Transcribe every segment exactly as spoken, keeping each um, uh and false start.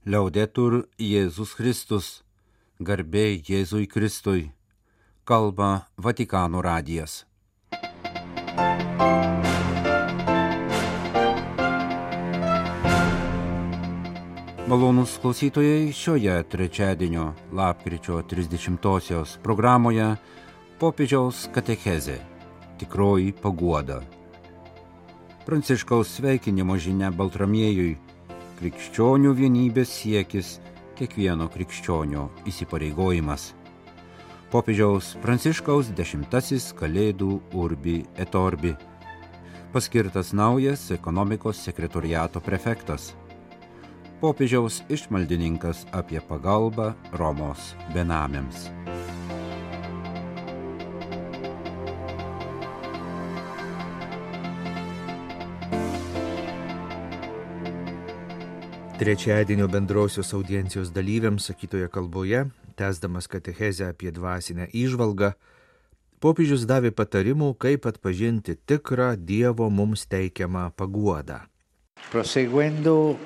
Liaudetur Jėzus Kristus, garbė Jėzui Kristui, kalba Vatikano radijas. Malonūs klausytojai, šioje trečiadienio lapkričio trisdešimtosios programoje popiežiaus katechezė – tikroji paguoda. Pranciškaus sveikinimo žinia Baltramiejui – krikščionių vienybės siekis, kiekvieno krikščionio įsipareigojimas. Popiežiaus Pranciškaus dešimtasis Kalėdų Urbi et Orbi. Paskirtas naujas ekonomikos sekretoriato prefektas. Popiežiaus išmaldininkas apie pagalbą Romos benamiams. Trečiadienio bendrosios audiencijos dalyviams sakytoje kalboje, tęsdamas katechezę apie dvasinę įžvalgą, popiežius davė patarimų, kaip atpažinti tikrą Dievo mums teikiamą paguodą. Proseguendo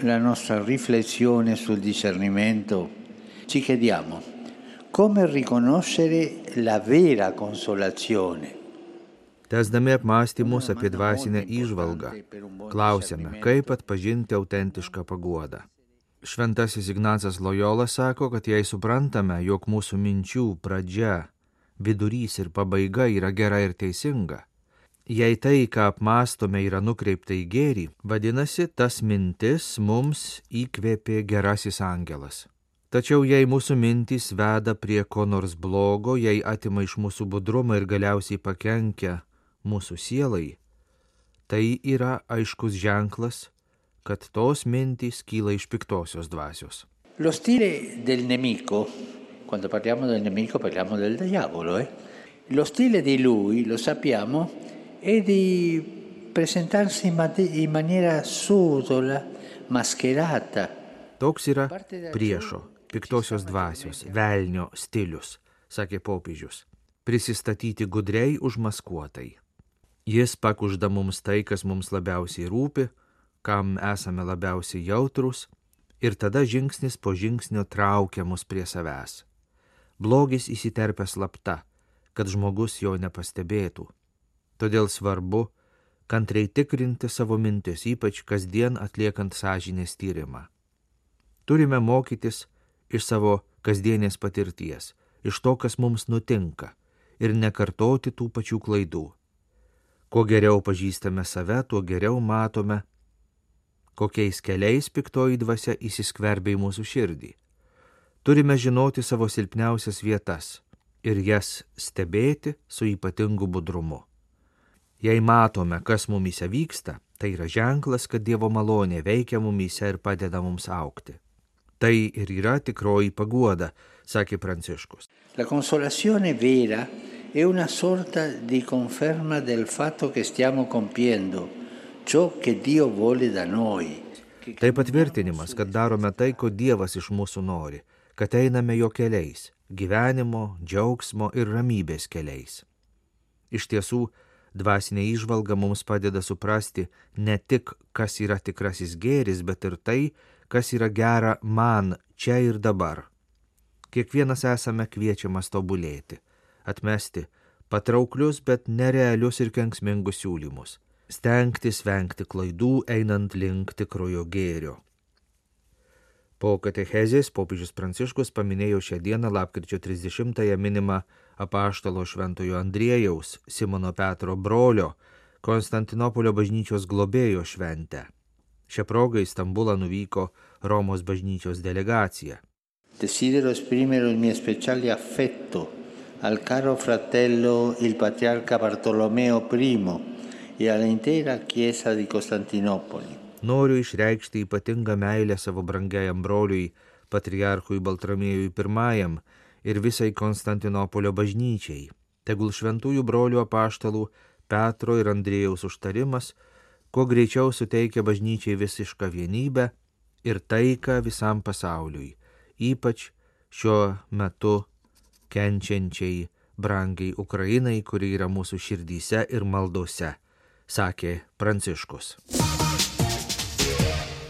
la nostra riflessione sul discernimento, ci chiediamo come riconoscere la vera consolazione. Tęsdami apmąstymus apie dvasinę įžvalgą, klausiame, kaip atpažinti autentišką paguodą. Šventasis Ignacas Lojola sako, kad jei suprantame, jog mūsų minčių pradžia, vidurys ir pabaiga yra gera ir teisinga, jei tai, ką apmąstome, yra nukreipta į gėrį, vadinasi, tas mintis mums įkvėpė gerasis angelas. Tačiau jei mūsų mintys veda prie ko nors blogo, jei atima iš mūsų budrumą ir galiausiai pakenkia mūsų sielai, tai yra aiškus ženklas, kad tos mintys kyla iš piktosios dvasios. Lo stile del nemico, quando parliamo del nemico parliamo del diavolo, eh? Lo stile di lui, lo sappiamo, è di presentarsi in maniera subdola, mascherata. Toks yra priešo, piktosios dvasios, velnio stilius, sakė popiežius, prisistatyti gudriai užmaskuotai. Jis pakužda mums tai, kas mums labiausiai rūpi, kam esame labiausiai jautrus, ir tada žingsnis po žingsnio traukia mus prie savęs. Blogis įsiterpia slapta, kad žmogus jo nepastebėtų. Todėl svarbu kantriai tikrinti savo mintis, ypač kasdien atliekant sąžinės tyrimą. Turime mokytis iš savo kasdienės patirties, iš to, kas mums nutinka, ir nekartoti tų pačių klaidų. Kuo geriau pažįstame save, tuo geriau matome, kokiais keliais piktoji dvasia įsiskverbia į mūsų širdį. Turime žinoti savo silpniausias vietas ir jas stebėti su ypatingu budrumu. Jei matome, kas mumyse vyksta, tai yra ženklas, kad Dievo malonė veikia mumyse ir padeda mums augti. Tai ir yra tikroji paguoda, sakė Pranciškus. La consolazione vera è una sorta di conferma del fatto che stiamo compiendo ciò che Dio vuole da noi. Tai patvirtinimas, kad darome tai, ko Dievas iš mūsų nori, kad einame jo keliais, gyvenimo, džiaugsmo ir ramybės keliais. Iš tiesų, dvasinė įžvalga mums padeda suprasti ne tik, kas yra tikrasis gėris, bet ir tai, kas yra gera man čia ir dabar. Kiekvienas esame kviečiamas tobulėti, atmesti patrauklius, bet nerealius ir kenksmingus siūlymus, stengtis vengti klaidų, einant link tikrojo gėrio. Po katechezės popiežius Pranciškus paminėjo šią dieną lapkričio trisdešimtąją minimą apaštalo šventojo Andriejaus, Simono Petro brolio, Konstantinopolio bažnyčios globėjo šventę. Šią progą į Stambulą nuvyko Romos bažnyčios delegacija. Desidero esprimere il mio speciale affetto al caro fratello il patriarca Bartolomeo I e all'intera Chiesa di Costantinopoli. Noriu išreikšti ypatingą meilę savo brangiajam broliui, patriarchui Baltramiejui I ir visai Konstantinopolio bažnyčiai. Tegul šventųjų brolių apaštalų Petro ir Andriejaus užtarimas kuo greičiau suteikia bažnyčiai visišką vienybę ir taiką visam pasauliui, ypač šiuo metu kenčiančiai brangiai Ukrainai, kuri yra mūsų širdyse ir maldose, sakė Pranciškus.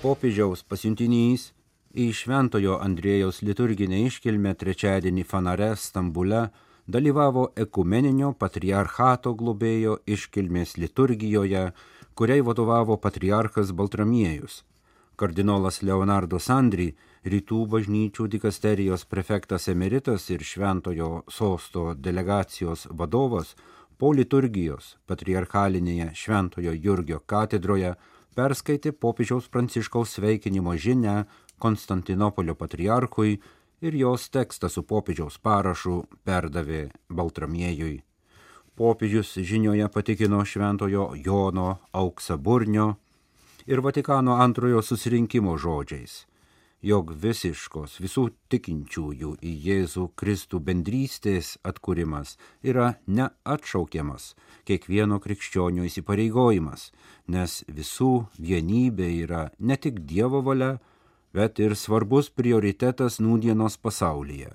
Popiežiaus pasiuntinys Į Šventojo Andriejaus liturginę iškilmę trečiadienį Fanare, Stambule, dalyvavo ekumeninio patriarchato globėjo iškilmės liturgijoje, kuriai vadovavo patriarchas Baltramiejus. Kardinolas Leonardo Sandri, rytų bažnyčių dikasterijos prefektas emeritas ir Šventojo sosto delegacijos vadovas, po liturgijos patriarchalinėje Šventojo Jurgio katedroje perskaitė popiežiaus Pranciškaus sveikinimo žinią Konstantinopolio patriarchui ir jos tekstą su popiežiaus parašu perdavė Baltramiejui. Popiežius žinioje patikino Šventojo Jono Auksaburnio ir Vatikano antrojo susirinkimo žodžiais, jog visiškos visų tikinčiųjų į Jėzų Kristų bendrystės atkūrimas yra neatšaukiamas kiekvieno krikščionio įsipareigojimas, nes visų vienybė yra ne tik Dievo valia, bet ir svarbus prioritetas nūdienos pasaulyje.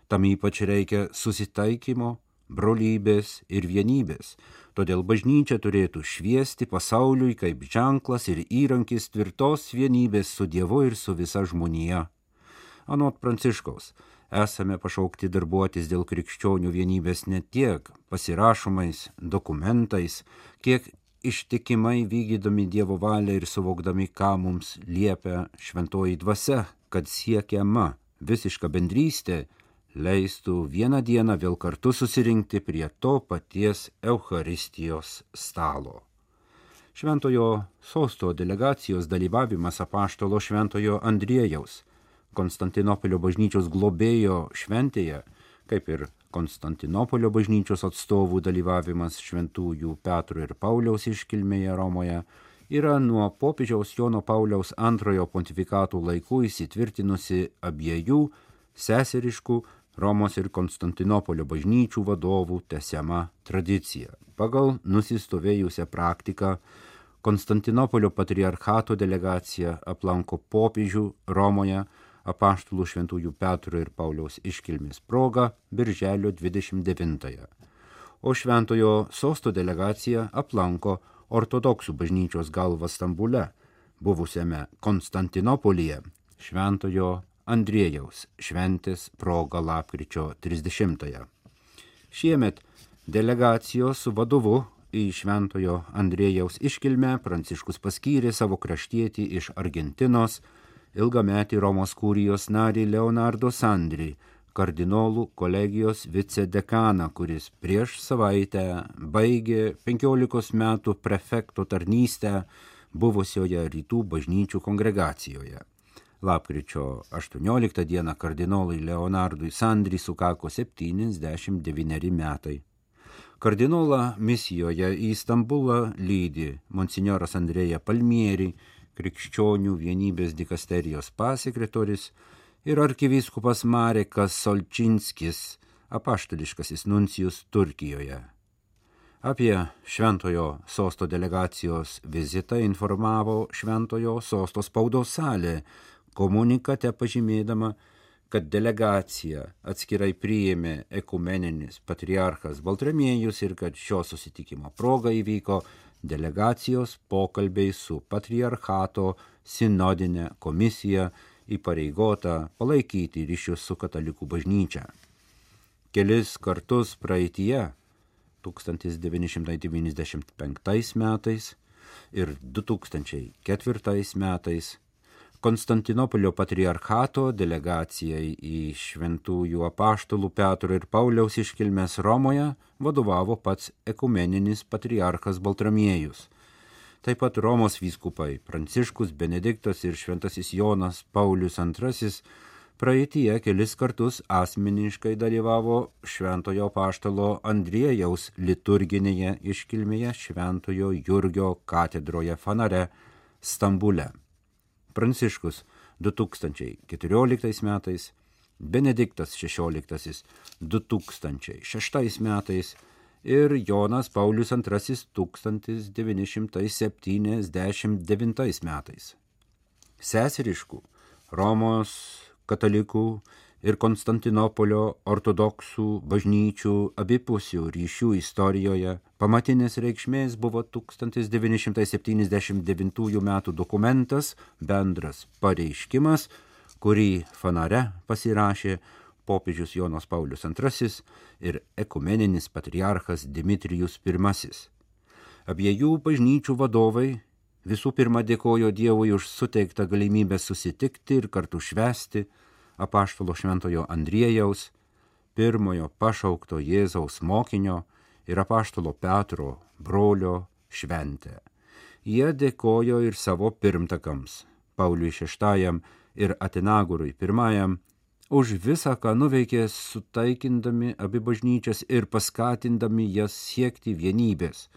Tam ypač reikia susitaikymo, brolybės ir vienybės, todėl bažnyčia turėtų šviesti pasauliui kaip ženklas ir įrankis tvirtos vienybės su Dievu ir su visa žmonija. Anot Pranciškaus, esame pašaukti darbuotis dėl krikščionių vienybės ne tiek pasirašomais dokumentais, kiek ištikimai vykdydami Dievo valią ir suvokdami, ką mums liepia šventoji dvasia, kad siekiama visiška bendrystė leistų vieną dieną vėl kartu susirinkti prie to paties Eucharistijos stalo. Šventojo sosto delegacijos dalyvavimas apaštalo Šventojo Andriejaus, Konstantinopolio bažnyčios globėjo šventėje, kaip ir Konstantinopolio bažnyčios atstovų dalyvavimas Šventųjų Petro ir Pauliaus iškilmėje Romoje, yra nuo popiežiaus Jono Pauliaus antrojo pontifikatų laikų įsitvirtinusi abiejų seseriškų Romos ir Konstantinopolio bažnyčių vadovų tęsiama tradicija. Pagal nusistovėjusią praktiką Konstantinopolio patriarchato delegacija aplanko popiežių Romoje apaštalų Šventųjų Petro ir Pauliaus iškilmės proga birželio dvidešimt devintąją. O Šventojo sosto delegacija aplanko ortodoksų bažnyčios galvą Stambule, buvusiame Konstantinopolyje, Šventojo Andriejaus šventės proga lapkričio trisdešimtąją. Šiemet delegacijos vadovu į Šventojo Andriejaus iškilmę Pranciškus paskyrė savo kraštietį iš Argentinos, ilgametį Romos kurijos narį Leonardo Sandri, kardinolų kolegijos vicedekaną, kuris prieš savaitę baigė penkiolikos metų prefekto tarnystę buvusioje rytų bažnyčių kongregacijoje. Lapkričio aštuonioliktą dieną kardinolui Leonardui Sandri sukako septyniasdešimt devyneri metai. Kardinolą misijoje į Stambulą lydi monsinjoras Andrėja Palmieri, krikščionių vienybės dikasterijos pasekretorius, ir arkivyskupas Marekas Solčinskis, apaštališkasis nuncijus Turkijoje. Apie Šventojo sosto delegacijos vizitą informavo Šventojo sosto spaudos salė, komunikate pažymėdama, kad delegacija atskirai priėmė ekumeninis patriarchas Baltramiejus ir kad šio susitikimo proga įvyko delegacijos pokalbiai su patriarchato sinodinė komisija įpareigota palaikyti ryšius su katalikų bažnyčia. Kelis kartus praeityje, tūkstantis devyni šimtai devyniasdešimt penktais metais ir du tūkstančiai ketvirtais metais, Konstantinopolio patriarchato delegacijai į Šventųjų apaštalų Petro ir Pauliaus iškilmes Romoje vadovavo pats ekumeninis patriarchas Baltramiejus. Taip pat Romos vyskupai Pranciškus, Benediktas ir Šventasis Jonas Paulius antrasis praeityje kelis kartus asmeniškai dalyvavo Šventojo apaštalo Andriejaus liturginėje iškilmėje Šventojo Jurgio katedroje Fanare, Stambule. Pranciškus du tūkstančiai keturioliktais metais, Benediktas šešioliktasis du tūkstančiai šeštais metais ir Jonas Paulius antrasis tūkstantis devyni šimtai septyniasdešimt devintais metais. Seseriškų Romos katalikų ir Konstantinopolio ortodoksų bažnyčių abipusių ryšių istorijoje pamatinės reikšmės buvo tūkstantis devyni šimtai septyniasdešimt devintųjų metų dokumentas Bendras pareiškimas, kurį Fanare pasirašė popiežius Jonas Paulius antrasis ir ekumeninis patriarchas Dimitrijus pirmasis. Abiejų bažnyčių vadovai visų pirma dėkojo Dievui už suteiktą galimybę susitikti ir kartu švęsti apaštalo šventojo Andriejaus, pirmojo pašaukto Jėzaus mokinio ir apaštalo Petro brolio šventę. Jie dėkojo ir savo pirmtakams, Pauliui šeštajam ir Atenagurui pirmajam, už visą, ką nuveikė sutaikindami abi bažnyčias ir paskatindami jas siekti vienybės.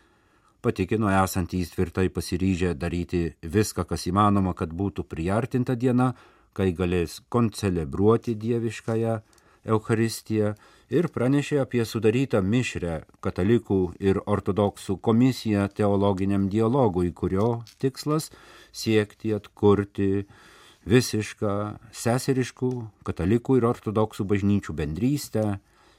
Patikino esantys tvirtai pasiryžę daryti viską, kas įmanoma, kad būtų priartinta diena, kai galės koncelebruoti dieviškąją Eucharistiją, ir pranešė apie sudarytą mišrią katalikų ir ortodoksų komisiją teologiniam dialogui, kurio tikslas siekti atkurti visišką seseriškų katalikų ir ortodoksų bažnyčių bendrystę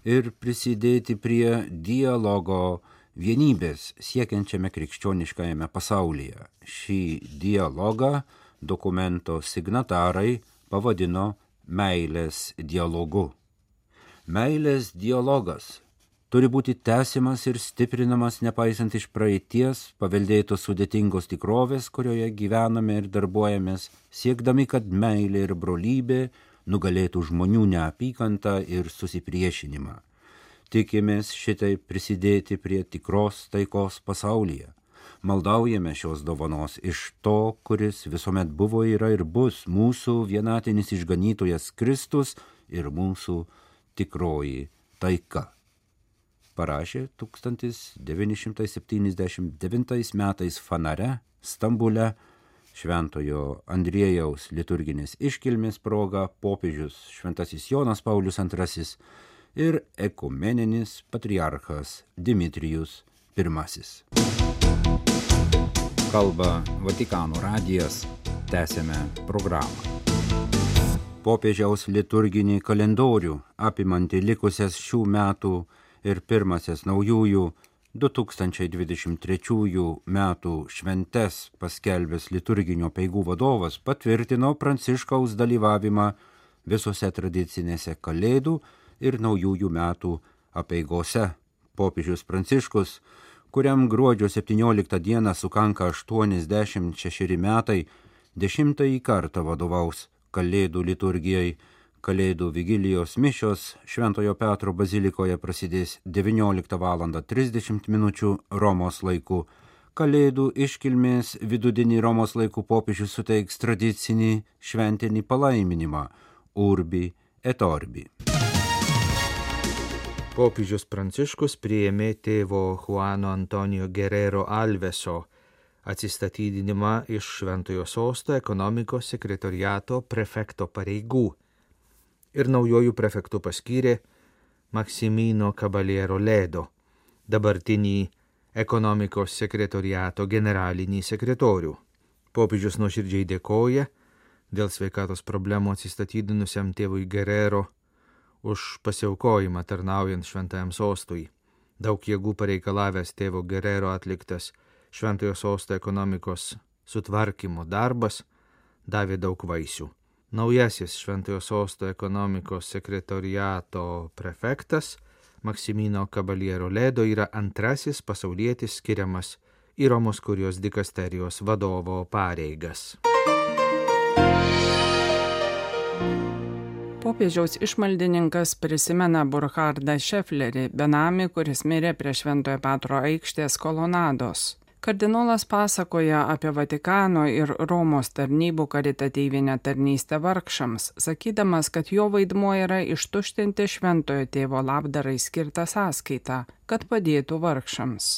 ir prisidėti prie dialogo vienybės siekiančiame krikščioniškajame pasaulyje. Šį dialogą dokumento signatarai pavadino meilės dialogu. Meilės dialogas turi būti tęsiamas ir stiprinamas nepaisant iš praeities paveldėtos sudėtingos tikrovės, kurioje gyvename ir darbuojamės, siekdami, kad meilė ir brolybė nugalėtų žmonių neapykantą ir susipriešinimą. Tikimės šitai prisidėti prie tikros taikos pasaulyje. Maldaujame šios dovanos iš to, kuris visuomet buvo, yra ir bus mūsų vienatinis išganytojas Kristus ir mūsų tikroji taika. Parašė tūkstantis devyni šimtai septyniasdešimt devintais metais Fanare, Stambule, Šventojo Andriejaus liturginės iškilmės proga popiežius šventasis Jonas Paulius antrasis ir ekumeninis patriarchas Dimitrijus pirmasis. Kalba Vatikano radijas, tęsiame programą. Popiežiaus liturginį kalendorių, apimantį likusias šių metų ir pirmasias naujųjų du tūkstančiai dvidešimt trečiųjų metų šventes paskelbęs liturginio peigų vadovas patvirtino Pranciškaus dalyvavimą visose tradicinėse kalėdų ir naujųjų metų apeigose. Popiežius Pranciškus, kuriam gruodžio septynioliktą dieną sukanka aštuoniasdešimt šešeri metai, dešimtąjį kartą vadovaus Kalėdų liturgijai. Kalėdų vigilijos mišios Šventojo Petro bazilikoje prasidės devynioliktą valandą trisdešimt minučių Romos laiku. Kalėdų iškilmės vidudienį Romos laikų popiežius suteiks tradicinį šventinį palaiminimą Urbi et Orbi. Popiežius Pranciškus priėmė tėvo Juano Antonijo Guerrero Alveso atsistatydinimą iš Šventojo sosto ekonomikos sekretoriato prefekto pareigų ir naujojų prefektų paskyrė Maximino Caballero Ledo, dabartinį ekonomikos sekretoriato generalinį sekretorių. Popiežius nuoširdžiai dėkoja dėl sveikatos problemų atsistatydinusiam tėvui Guerrero už pasiaukojimą tarnaujant Šventajam sostui. Daug jėgų pareikalavęs tėvo Guerrero atliktas Šventojo sosto ekonomikos sutvarkymo darbas davė daug vaisių. Naujasis Šventojo sosto ekonomikos sekretoriato prefektas Maximino Caballero Ledo yra antrasis pasaulietis skiriamas į Romos kurijos dikasterijos vadovo pareigas. Popiežiaus išmaldininkas prisimena Burkhardą Šeflerį, benamį, kuris mirė prie Šventojo Petro aikštės kolonados. Kardinolas pasakoja apie Vatikano ir Romos tarnybų karitatyvinę tarnystę vargšams, sakydamas, kad jo vaidmuo yra ištuštinti Šventojo tėvo labdarai skirtą sąskaitą, kad padėtų vargšams.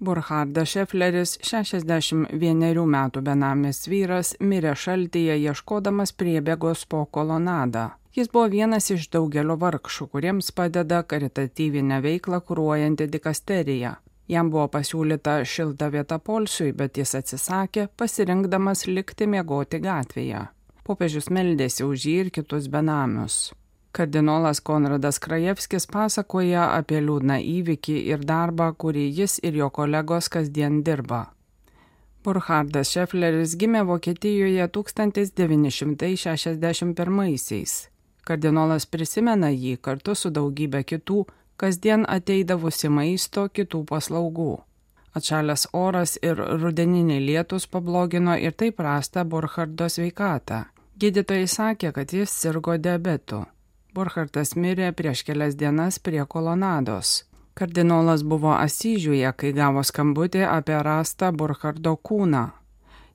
Burkhardas Šefleris, šešiasdešimt vienerių metų benamis vyras, mirė šaltyje ieškodamas priebėgos po kolonadą. Jis buvo vienas iš daugelio vargšų, kuriems padeda karitatyvinę veiklą kuruojanti dikasterija. Jam buvo pasiūlyta šilta vieta poilsiui, bet jis atsisakė, pasirinkdamas likti miegoti gatvėje. Popiežius meldėsi už jį ir kitus benamius. Kardinolas Konradas Krajevskis pasakoja apie liūdną įvykį ir darbą, kurį jis ir jo kolegos kasdien dirba. Burchardas Šefleris gimė Vokietijoje tūkstantis devyni šimtai šešiasdešimt pirmaisiais. Kardinolas prisimena jį kartu su daugybė kitų, kasdien ateidavusi maisto, kitų paslaugų. Atšalęs oras ir rudeniniai lietus pablogino ir taip prastą Burchardo sveikatą. Gydytojai sakė, kad jis sirgo diabetu. Burchardas mirė prieš kelias dienas prie kolonados. Kardinolas buvo Asyžiuje, kai gavo skambutį apie rastą Burchardo kūną.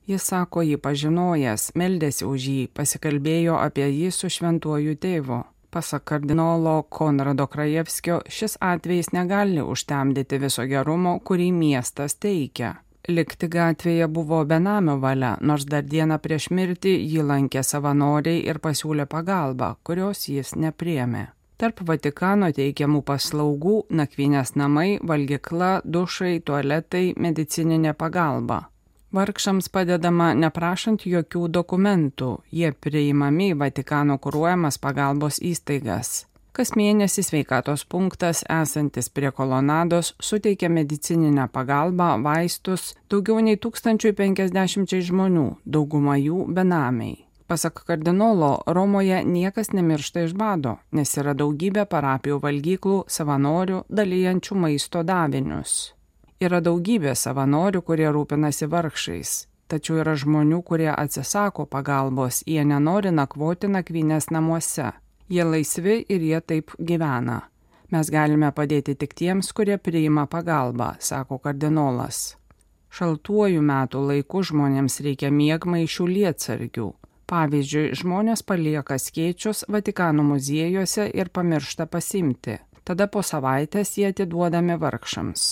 Jis sako jį pažinojęs, meldėsi už jį, pasikalbėjo apie jį su šventuoju tėvu. Pasak kardinolo Konrado Krajevskio, šis atvejis negali užtemdyti viso gerumo, kurį miestas teikia. Likti gatvėje buvo benamio valia, nors dar dieną prieš mirtį jį lankė savanoriai ir pasiūlė pagalbą, kurios jis nepriėmė. Tarp Vatikano teikiamų paslaugų nakvynės namai, valgykla, dušai, tualetai, medicininė pagalba. Vargšams padedama neprašant jokių dokumentų, jie priimami į Vatikano kuruojamas pagalbos įstaigas. Kas mėnesį sveikatos punktas esantis prie kolonados suteikia medicininę pagalbą, vaistus daugiau nei tūkstančiui penkiasdešimčiai žmonių, dauguma jų benamiai. Pasak kardinolo, Romoje niekas nemiršta iš bado, nes yra daugybė parapijų valgyklų, savanorių, dalijančių maisto davinius. Yra daugybė savanorių, kurie rūpinasi vargšais, tačiau yra žmonių, kurie atsisako pagalbos, jie nenori nakvoti nakvynės namuose. Jie laisvi ir jie taip gyvena. Mes galime padėti tik tiems, kurie priima pagalbą, sako kardinolas. Šaltuoju metų laiku žmonėms reikia miegmaišių lietsargių. Pavyzdžiui, žmonės palieka skėčius Vatikano muziejuose ir pamiršta pasimti. Tada po savaitės jie atiduodami vargšams.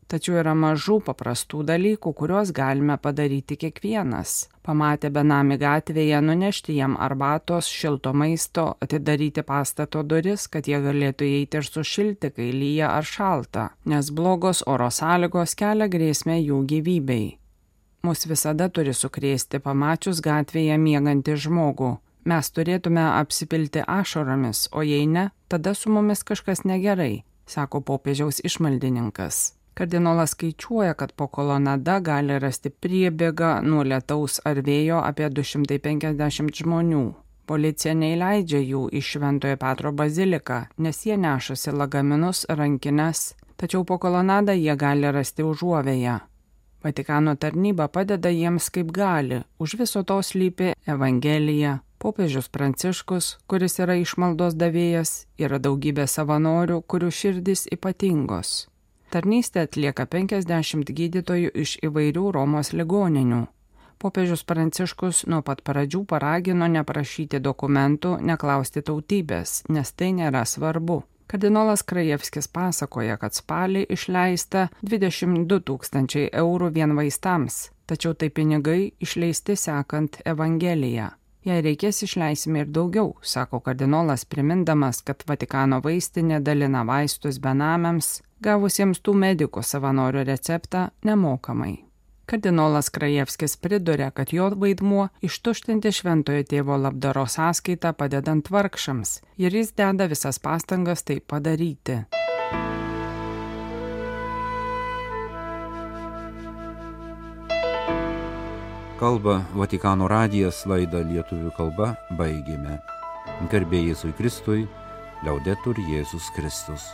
Tačiau yra mažų paprastų dalykų, kuriuos galime padaryti kiekvienas. Pamatę benamį gatvėje, nunešti jam arbatos, šilto maisto, atidaryti pastato duris, kad jie galėtų įeiti ir sušilti, kai lyja ar šalta, nes blogos oro sąlygos kelia grėsmę jų gyvybei. Mus visada turi sukrėsti pamačius gatvėje miegantį žmogų. Mes turėtume apsipilti ašaromis, o jei ne, tada su mumis kažkas negerai, sako popiežiaus išmaldininkas. Kardinolas skaičiuoja, kad po kolonada gali rasti priebėgą nuo lietaus ar vėjo apie du šimtai penkiasdešimt žmonių. Policija neįleidžia jų į Šventojo Petro baziliką, nes jie nešasi lagaminus, rankines, tačiau po kolonadą jie gali rasti užuovėją. Vatikano tarnyba padeda jiems kaip gali, už viso to slypi Evangelija. Popiežius Pranciškus, kuris yra išmaldos davėjas, yra daugybė savanorių, kurių širdys ypatingos. Tarnystę atlieka penkiasdešimt gydytojų iš įvairių Romos ligoninių. Popiežius Pranciškus nuo pat pradžių paragino neprašyti dokumentų, neklausti tautybės, nes tai nėra svarbu. Kardinolas Krajevskis pasakoja, kad spalį išleista dvidešimt du tūkstančiai eurų vien vaistams, tačiau tai pinigai išleisti sekant Evangeliją. Jei reikės, išleisime ir daugiau, sako kardinolas, primindamas, kad Vatikano vaistinė dalina vaistus benamiams, gavusiems tų medikų savanorių receptą nemokamai. Kardinolas Krajevskis priduria, kad jo vaidmuo ištuštinti šventojo tėvo labdaros sąskaitą padedant vargšams ir jis deda visas pastangas tai padaryti. Kalba Vatikano radijas, laidą lietuvių kalba baigėme. Garbė Jėzui Kristui, Liaudetur Jėzus Kristus.